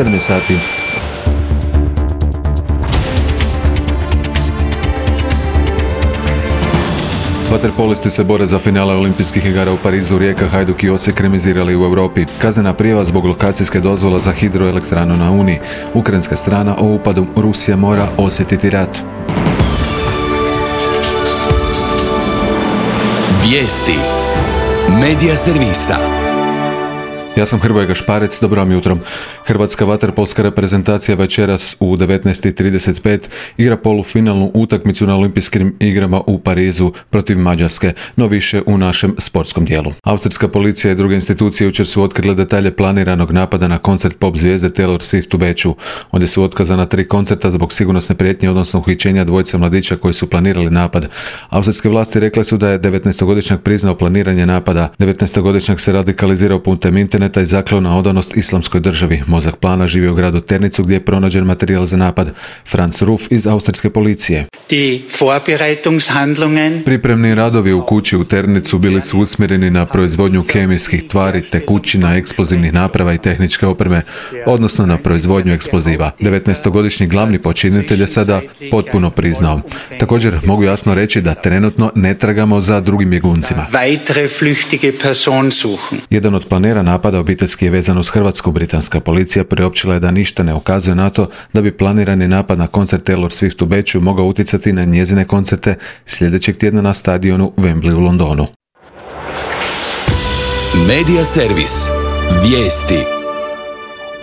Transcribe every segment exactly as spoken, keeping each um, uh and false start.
sedam sati. Vaterpolisti se bore za finale olimpijskih igara u Parizu. Rijeka, Hajduk i Osijek remizirali u Europi. Kaznena prijava zbog lokacijske dozvola za hidroelektranu na Uni. Ukrajinska strana o upadu Rusija mora osjetiti rat. Vijesti Medija servisa. Ja sam Hrvoje Gašparec, dobro vam jutro. Hrvatska vaterpolska reprezentacija večeras u devetnaest i trideset pet igra polufinalnu utakmicu na olimpijskim igrama u Parizu protiv Mađarske, no više u našem sportskom dijelu. Austrijska policija i druge institucije jučer su otkrile detalje planiranog napada na koncert pop zvijezde Taylor Swift u Beču. Ondje su otkazana tri koncerta zbog sigurnosne prijetnje, odnosno uhićenja dvojice mladića koji su planirali napad. Austrijske vlasti rekle su da je devetnaestogodišnjak priznao planiranje napada. devetnaestogodišnjak se radikalizirao putem interneta i zakleo na odanost islamskoj državi. Mozak plana živi u gradu Ternicu gdje je pronađen materijal za napad. Franz Ruf iz austrijske policije. Pripremni radovi u kući u Ternicu bili su usmjereni na proizvodnju kemijskih tvari, tekućina, eksplozivnih naprava i tehničke opreme, odnosno na proizvodnju eksploziva. devetnaestogodišnji glavni počinitelj je sada potpuno priznao. Također mogu jasno reći da trenutno ne tragamo za drugim bjeguncima. Jedan od planera napada obiteljski je vezan uz Hrvatsku. Britanska policija priopćila je da ništa ne ukazuje na to da bi planirani napad na koncert Taylor Swift u Beču mogao utjecati na njezine koncerte sljedećeg tjedna na stadionu Wembley u Londonu. Medija servis. Vijesti.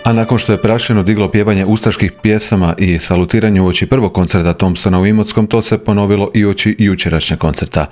A nakon što je prašeno diglo pjevanje ustaških pjesama i salutiranje uoči prvog koncerta Thompsona u Imotskom, to se ponovilo i uoči jučerašnjeg koncerta.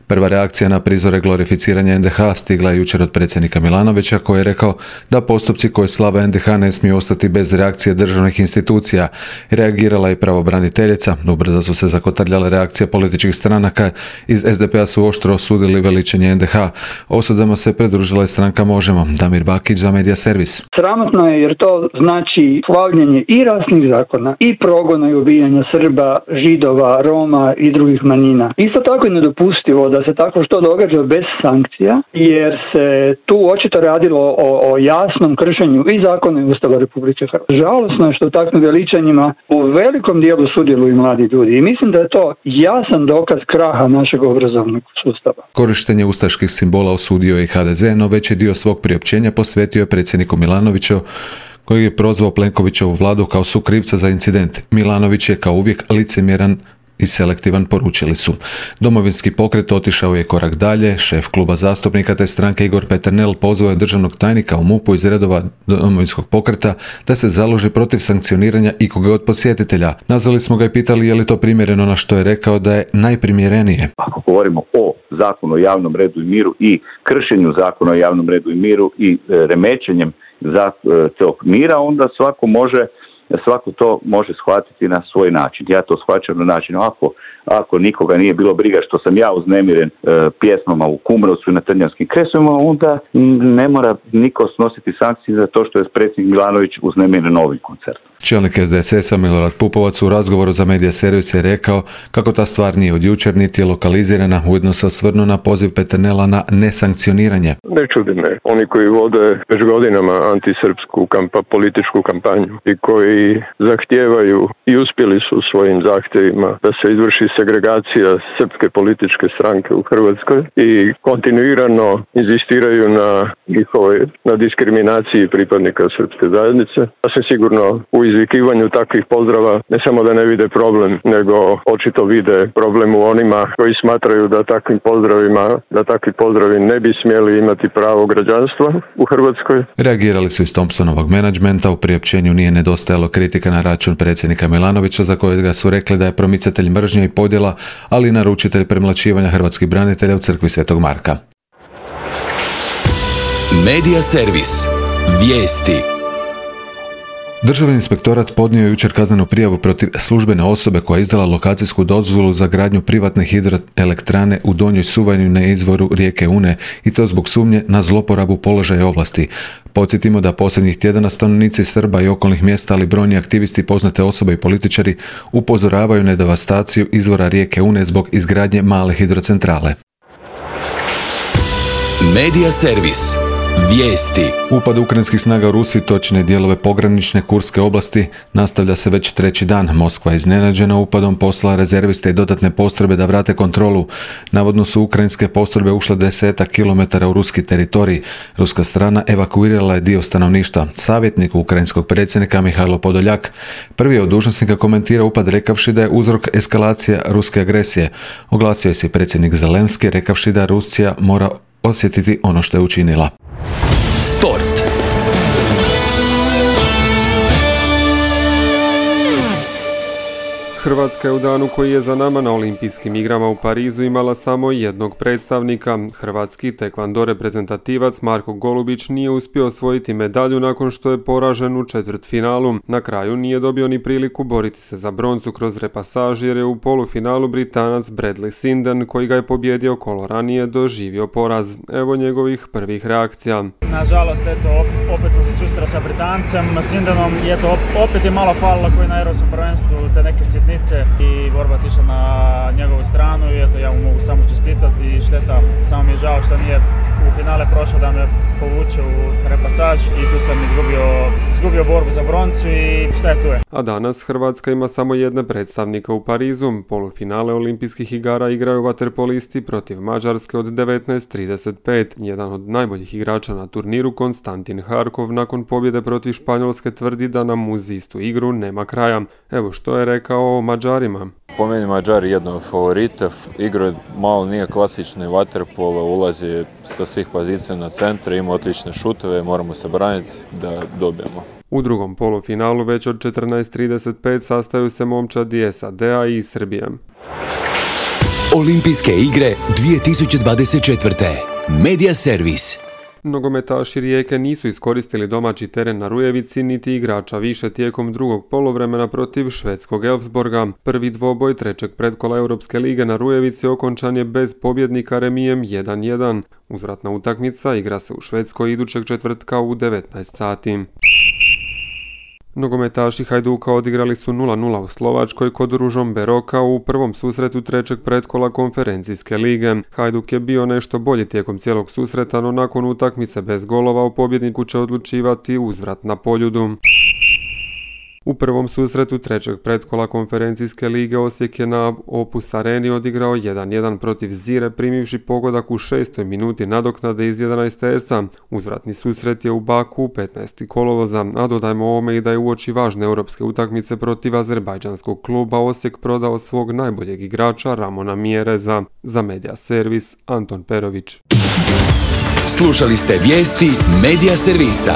Prva reakcija na prizore glorificiranja en de ha stigla je jučer od predsjednika Milanovića, koji je rekao da postupci koji slave en de ha ne smiju ostati bez reakcije državnih institucija. Reagirala je pravobraniteljica, ubrzo su se zakotrljale reakcije političkih stranaka. Iz es de pe a su oštro osudili veličanje en de ha. Osudama se pridružila i stranka Možemo. Damir Bakić za Medija servis. Sramotno je jer to znači slavljenje i rasnih zakona, i progona i ubijanja Srba, Židova, Roma i drugih manjina. Isto tako je nedopustivo da se tako što događa bez sankcija, jer se tu očito radilo o, o jasnom kršenju i zakona i Ustava Republike Hrvatske. Žalosno je što u takvim veličanjima u velikom dijelu sudjeluju mladi ljudi i mislim da je to jasan dokaz kraha našeg obrazovnog sustava. Korištenje ustaških simbola osudio je i ha de ze, no veći dio svog priopćenja posvetio je predsjedniku Milanoviću, koji je prozvao Plenkovićevu vladu kao sukrivca za incident. Milanović je kao uvijek licemjeran i selektivan, poručili su. Domovinski pokret otišao je korak dalje. Šef kluba zastupnika te stranke Igor Peternel pozvao je državnog tajnika u MUP-u iz redova Domovinskog pokreta da se založi protiv sankcioniranja ikoga od posjetitelja. Nazvali smo ga i pitali je li to primjereno, na što je rekao da je najprimjerenije. Ako govorimo o zakonu o javnom redu i miru i kršenju zakona o javnom redu i miru i remećenjem za tog mira, onda svako može, svako to može shvatiti na svoj način. Ja to shvaćam na način, ako, ako nikoga nije bilo briga što sam ja uznemiren e, pjesmama u Kumrovcu i na Trnjavskim kresovima, onda ne mora niko snositi sankcije za to što je predsjednik Milanović uznemiren novim koncertom. Čelnik es de es es-a Milorad Pupovac u razgovoru za Medija servis je rekao kako ta stvar nije od jučer niti je lokalizirana. Ujedno se osvrnuo na poziv Peternela na nesankcioniranje. Ne čudi me. Oni koji vode već godinama antisrpsku kampa, političku kampanju i koji zahtijevaju i uspjeli su svojim zahtjevima da se izvrši segregacija srpske političke stranke u Hrvatskoj i kontinuirano inzistiraju na njihovoj na diskriminaciji pripadnika srpske zajednice. Ja sam sigurno u izvikivanju takvih pozdrava ne samo da ne vide problem, nego očito vide problem u onima koji smatraju da takvim pozdravima, da takvi pozdravi ne bi smjeli imati pravo građanstva u Hrvatskoj. Reagirali su iz Thompsonovog menadžmenta. U priopćenju nije nedostajalo kritika na račun predsjednika Milanovića, za kojega su rekli da je promicatelj mržnje i podjela, ali i naručitelj premlaćivanja hrvatskih branitelja u crkvi Svetog Marka. Medija servis. Vijesti. Državni inspektorat podnio je jučer kaznenu prijavu protiv službene osobe koja je izdala lokacijsku dozvolu za gradnju privatne hidroelektrane u Donjoj Suvajni na izvoru rijeke Une, i to zbog sumnje na zloporabu položaja ovlasti. Podsjetimo da posljednjih tjedana stanovnici Srba i okolnih mjesta, ali brojni aktivisti, poznate osobe i političari upozoravaju na devastaciju izvora rijeke Une zbog izgradnje male hidrocentrale. Medija servis. Vijesti. Upad ukrajinskih snaga u Rusiji, točne dijelove pogranične Kurske oblasti, nastavlja se već treći dan. Moskva je iznenađena upadom poslala rezerviste i dodatne postrojbe da vrate kontrolu. Navodno su ukrajinske postrojbe ušle desetak kilometara u ruski teritorij. Ruska strana evakuirala je dio stanovništva. Savjetnik ukrajinskog predsjednika Mihajlo Podoljak prvi je od dužnosnika komentirao upad rekavši da je uzrok eskalacija ruske agresije. Oglasio je se predsjednik Zelenski rekavši da Rusija mora osjetiti ono što je učinila. Sport. Hrvatska je u danu koji je za nama na Olimpijskim igrama u Parizu imala samo jednog predstavnika. Hrvatski tekvando reprezentativac Marko Golubić nije uspio osvojiti medalju nakon što je poražen u četvrtfinalu. Na kraju nije dobio ni priliku boriti se za broncu kroz repasaž jer je u polufinalu Britanac Bradley Sinden, koji ga je pobjedio kolo ranije, doživio poraz. Evo njegovih prvih reakcija. Nažalost, eto, opet sam se susreo sa Britancem, Sindenom, i eto, opet je malo falilo koji na Europskom prvenstvu, te neke sitnice i borba tišla na njegovu stranu i eto, ja mu mogu samo čestitati i šteta, samo mi je žao što nije u finale prošao da me povuče u repasaž i tu sam izgubio, izgubio borbu za broncu i šta je tu je. A danas Hrvatska ima samo jedne predstavnika u Parizu. Polufinale Olimpijskih igara igraju vaterpolisti protiv Mađarske od devetnaest trideset pet. Jedan od najboljih igrača na turniru, Konstantin Harkov, nakon pobjede protiv Španjolske tvrdi da nam uz istu igru nema kraja. Evo što je rekao o Mađarima. Po meni Mađari jedno od favorita. Igra malo nije klasični vaterpolo, ulazi sa svih pozicija na centre, ima odlične šutove, moramo se braniti da dobijemo. U drugom polufinalu već od četrnaest trideset pet sastaju se momčadi S A D-a i Srbije. Olimpijske igre dvije tisuće dvadeset četvrte. Media Servis. Nogometaši Rijeke nisu iskoristili domaći teren na Rujevici niti igrača više tijekom drugog poluvremena protiv švedskog Elfsborga. Prvi dvoboj trećeg pretkola Europske lige na Rujevici okončan je bez pobjednika remijem jedan jedan. Uzvratna utakmica igra se u Švedskoj idućeg četvrtka u devetnaest sati. Nogometaši Hajduka odigrali su nula nula u Slovačkoj kod Ružomberoka u prvom susretu trećeg pretkola konferencijske lige. Hajduk je bio nešto bolji tijekom cijelog susreta, no nakon utakmice bez golova o pobjedniku će odlučivati uzvrat na Poljudu. U prvom susretu trećeg pretkola konferencijske lige Osijek je na Opus Areni odigrao jedan jedan protiv Zire, primivši pogodak u šestoj minuti nadoknade iz jedanaest terca. Uzvratni susret je u Baku petnaestog kolovoza, a dodajmo ovome i da je uoči važne europske utakmice protiv azerbajdžanskog kluba Osijek prodao svog najboljeg igrača Ramona Mjereza. Za Media Servis, Anton Perović. Slušali ste vijesti Media Servisa.